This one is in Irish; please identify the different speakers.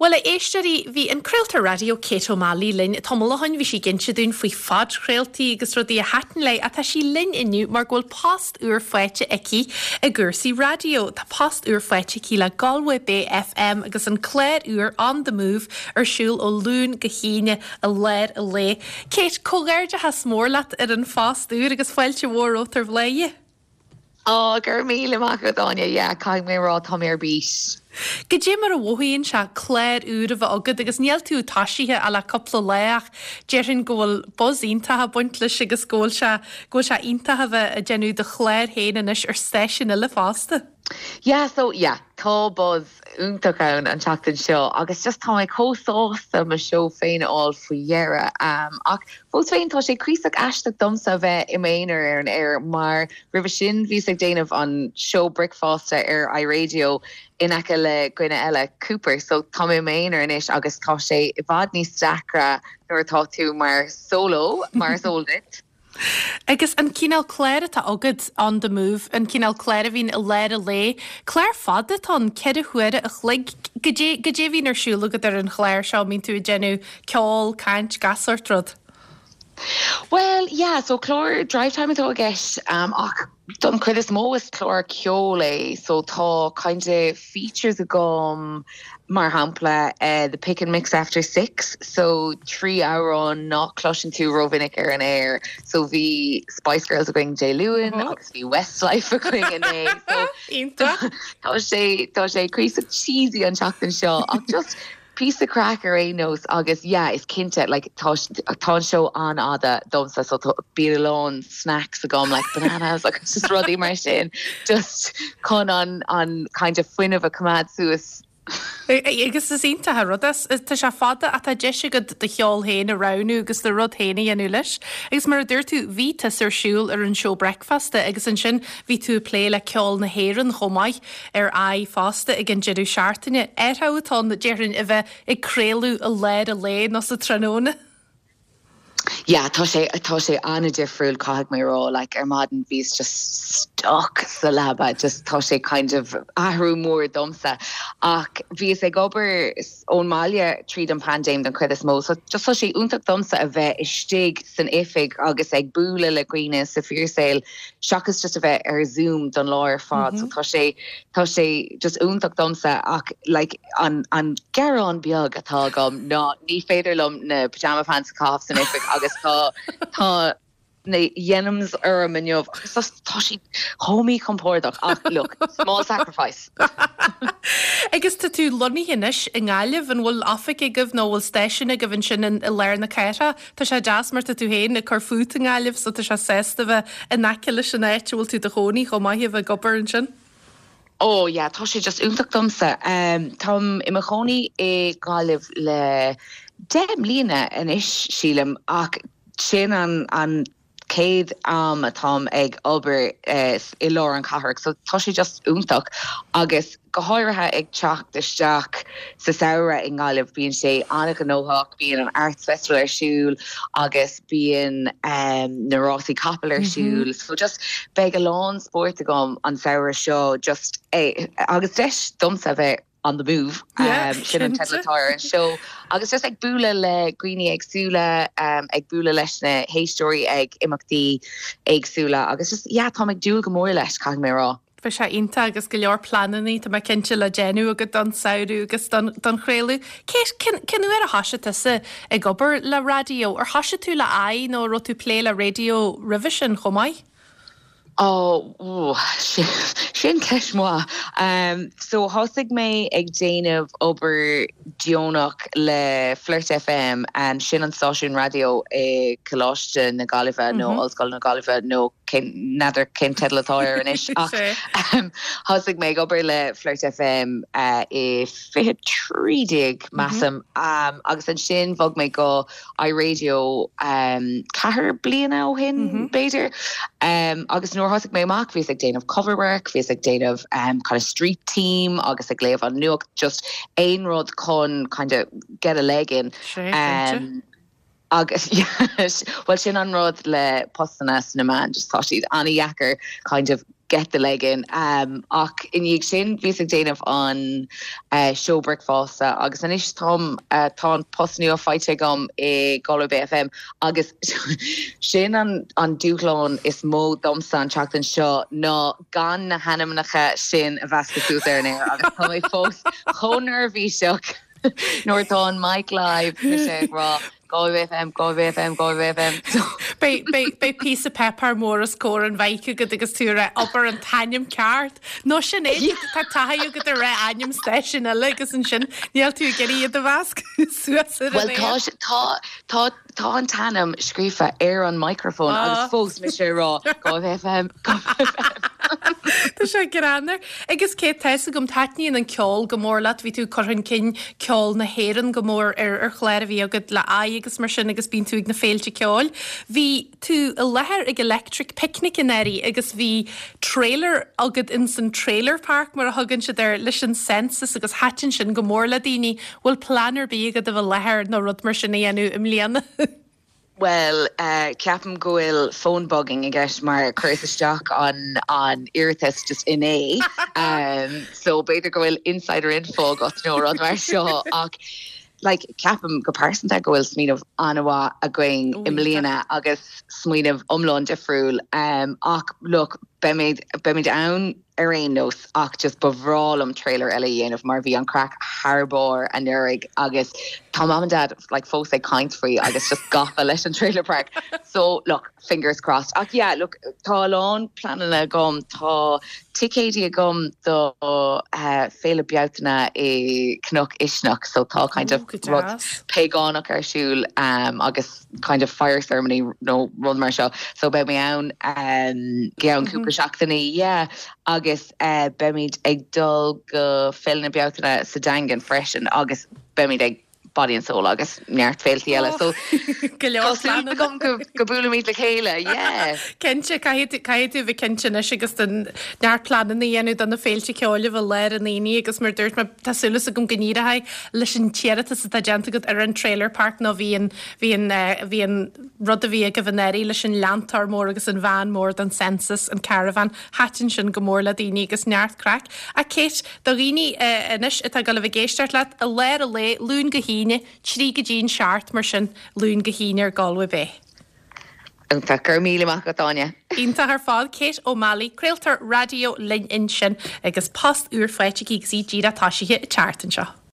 Speaker 1: Bhuel, a éisteoirí, bhí an craoltóir raidió Kate O'Malley linn tamall ó shin. Bhí sí ag inse dúinn faoi phodchraoltaí agus rudaí a thaitin léi ach tá sí linn inniu mar go bhfuil post úr faighte aici i gcúrsaí raidió. Tá post úr faighte aici le Galway Bay FM agus an clár úr On The Move ar siúl ó Luan go hAoine i lár an lae. Kate, comhghairdeachas mór leat ar an phost úr agus fáilte mhór romhat ar Bhladhaire.
Speaker 2: Á, go raibh míle maith agat, Áine. Yeah, caithfidh mé a rá, tá mé ar bís.
Speaker 1: Goidé mar a mhothaíonn sé clár úr a bheith agat agus níl tú toisithe ach le cúpla lá ach déarfainn go bhfuil buzz iontach ag baint leis agus go bhfuil sé, go bhfuil sé iontach a bheith ag déanamh do chlár féin anois ar stáisiún eile fosta.
Speaker 2: Yeah, so, yeah, tá buzz iontach ann an tseachtain seo agus just tá mé chomh sásta mo seó féin a fháil faoi dheireadh. Ach fós féin tá sé cuíosach aisteach domsa a bheith i m'aonar ar an aer mar roimhe sin bhíos ag déanamh an seó bricfeasta ar iRadio in aice le dhuine eile, Cooper, so tá mé i m'aonar anois agus tá sé i bhfad níos deacra nuair atá tú mar solo, mar is eol duit.
Speaker 1: Agus an cineál cláir atá agat, On The Move, an cineál cláir a bhíonn i lár an lae, clár fada atá ann, 4 huaire a chloig. Goidé, goidé a bhíonn ar siúl agat ar an chlár seo, an mbíonn tú ag déanamh ceol, caint, gach sórt rud?
Speaker 2: Bhuel, yeah, so clár drive time atá i gceist, ach don chuid is mó is clár ceoil é, so tá kind of features agam, mar shampla the pick and mix after six, so 3 amhrán nach cloiseann tú rómhinic ar an aer, so bhí Spice Girls againn Dé Luain agus bhí Westlife againn inné, so tá sé tá sé cuíosach cheesy an tseachtain seo ach just píosa craic ar aon nós agus yeah is cinnte like tá tá an seó an-fhada domsa so tá bíonn a lán snacks agam like bananas agus just rudaí mar sin just chun an an kind of fuinneamh a choimeád suas.
Speaker 1: Agus is iontach an rud é. Tá sé fada ach tá deis agat do cheol féin a roghnú agus do rud féin a dhéanamh leis. Agus mar a dúirt tú, bhí tusa ar siúl ar an seó bricfeasta agus ansin bhí tú ag plé le ceol na hÉireann chomh maith ar i fosta ag an deireadh seachtaine. Athrú atá ann, déarfainn, a bheith ag craoladh i lár an lae nó sa tráthnóna.
Speaker 2: Yeah, tá sé, tá sé an-difriúil caithfidh mé a rá, like ar maidin bhíos just stuck sa leaba, just tá sé kind of athrú mór domsa. Ach bhíos ag obair ón mbaile tríd an paindéim don chuid is mó, so just tá sé iontach domsa a bheith istigh san oifig agus ag bualadh le dhaoine sa fíorsaol seachas just a bheith ar Zoom don lá ar fad, so tá sé, tá sé just iontach domsa ach like an an gearán beag atá agam ná ní féidir liom na pyjama pants a chaitheamh san oifig agus tá tá na denims orm inniu agus tá tá siad chomh míchompordach ach look, small sacrifice.
Speaker 1: Agus tá tú lonnaithe anois i nGaillimh, an bhfuil oifig agaibh nó bhfuil stáisiún agaibh ansin i lár na cathrach? Tá sé deas mar tá tú féin ag cur fút i nGaillimh so tá sé sásta bheith in aice leis an áit a bhfuil tú i do chónaí chomh maith a bheith ag obair ansin.
Speaker 2: Oh yeah, tá sé just iontach domsa. Táim i mo chónaí i nGaillimh le 10 mbliana anois, sílim, ach sin an an chéad am atáim ag obair i lár an chathrach so tá sé just iontach agus go háirithe ag teacht isteach sa samhradh i nGaillimh bíonn sé an-ghnóthach, bíonn an Arts Festival ar siúl agus bíonn na rásaí capall ar siúl so just beidh a lán spóirt agam an samhradh seo just agus deis domsa a bheith on the move sin an teideal atá ar an seó agus just ag bualadh le dhaoine éagsúla ag bualadh leis na héisteoirí ag imeachtaí éagsúla agus just yeah táim ag dúil go mór leis caithfidh mé a rá.
Speaker 1: Bheadh sé iontach agus go leor pleananna tá mé cinnte le déanamh agat don samhradh agus don don chraoladh. Cé cén cén uair a thoisigh tusa ag obair le raidió? Ar thoisigh tú le i nó an raibh tú ag plé le raidió roimhe sin chomh maith?
Speaker 2: Ó, sin ceist mhaith. So thosaigh mé ag déanamh obair deonach le Flirt FM, sin an stáisiún raidió i Coláiste na Gaillimhe nó Ollscoil na Gaillimhe nó n'fheadar cén teideal atá air anois ach thosaigh mé ag obair le Flirt FM i 2013 measaim agus ansin bhog mé go iRadio 4 bliana ó shin b'fhéidir agus nuair a thosaigh mé amach bhíos ag déanamh cover work, bhíos ag déanamh kind of street team agus ag léamh an nuacht, just aon rud chun kind of get a leg in. Agus bhuel sin an rud le postanna sna meáin, just tá siad an-dheacair kind of. Get the leg in. Ach i ndiaidh sin bhíos ag déanamh an seó bricfeasta agus anois táim, tá an post nua faighte agam i Galway Bay FM agus sin an an dúshlán is mó domsa an tseachtain seo ná gan na hainmneacha sin a mheascadh suas ar an aer agus tá mé fós chomh neirbhíseach nuair atá an mic live mise ag rá Galway Bay FM, Galway Bay FM, Galway Bay FM.
Speaker 1: Beidh, beidh, beidh píosa páipéir mór os comhair an mhic agat agus tú ag rá abair an t-ainm ceart. Nó sin é, tá taithí agat ag rá ainm stáisiún eile agus ansin níl tú ag iarraidh iad a mheascadh suas ar an
Speaker 2: Bhuel tá, aer. tá, tá, tá an t-ainm scríofa ar an microphone agus fós mise ag rá Galway Bay FM, Galway Bay FM.
Speaker 1: Tá sé greannmhar. Agus Kate, tá fhios agam, taitníonn an ceol go mór leat, bhí tú ag cur chun cinn ceol na hÉireann go mór ar ar chlár a bhí agat le Aghaidh agus mar sin agus bíonn tú ag na féilte ceoil. Bhí tú i láthair ag Electric Picnic anuraidh agus bhí trailer agat ins an trailer park mar a thugann siad air leis an census agus thaitin sin go mór le daoine. Bhfuil plean ar bith agat a bheith i láthair nó rud mar sin a dhéanamh i mbliana?
Speaker 2: Bhuel, ceapaim go bhfuil phone bugging i gceist mar chuireas isteach an an iarratas just inné. So b'fhéidir go bhfuil insider info agat nó rud mar seo ach like ceapaim go pearsanta go bhfuil smaoineamh an-mhaith againn i mbliana agus smaoineamh iomlán difriúil. Ach look, beimid beimid ann ar aon nós ach just ba bhreá liom trailer eile a dhéanamh mar bhí an craic thar barr anuraidh agus tá mam and dad like fós ag caint faoi agus just gafa leis an trailer park so look fingers crossed ach yeah look tá a lán pleananna agam tá ticéidí agam do uh, Féile Bealtaine i Cnoc Uisneach so tá kind of rud págánach ar siúl um, agus kind of fire ceremony nó rud mar seo so beidh mé ann i gceann cúpla seachtainí yeah agus eh, beimid ag dul go Féile na Bealtaine sa Daingean freisin agus beimid ag Body and Soul agus neart féiltí eile so
Speaker 1: Go leor tá súil
Speaker 2: pleananna. agam go go buailimid le chéile yeah.
Speaker 1: Cinnte, caithfidh tú caithfidh tú a bheith cinnte anois agus den neart pleananna a dhéanamh do na féilte ceoil a bheith lár an aonaigh agus mar dúirt mé tá súil agam go n-éireoidh leis an t-iarratas atá déanta agat ar an trailer park nó bhí an, bhí an, bhí an rud a bhí agaibh anuraidh leis an leantóir mór agus an veain mór don census, an caravan, thaitin sin go mór le daoine agus neart craic. Ach Kate, do dhaoine anois atá ag dul a bheith ag éisteacht leat, i lár an lae, Luan go hAoine, 3 go dtí an 7 mar sin, Luan go hAoine ar Galway Bay.
Speaker 2: Iontach. Go raibh míle maith agat, Áine.
Speaker 1: Iontach ar fad. Kate O'Malley, craoltóir raidió linn ansin agus post úr faighte aici agus í díreach toisithe an tseachtain seo.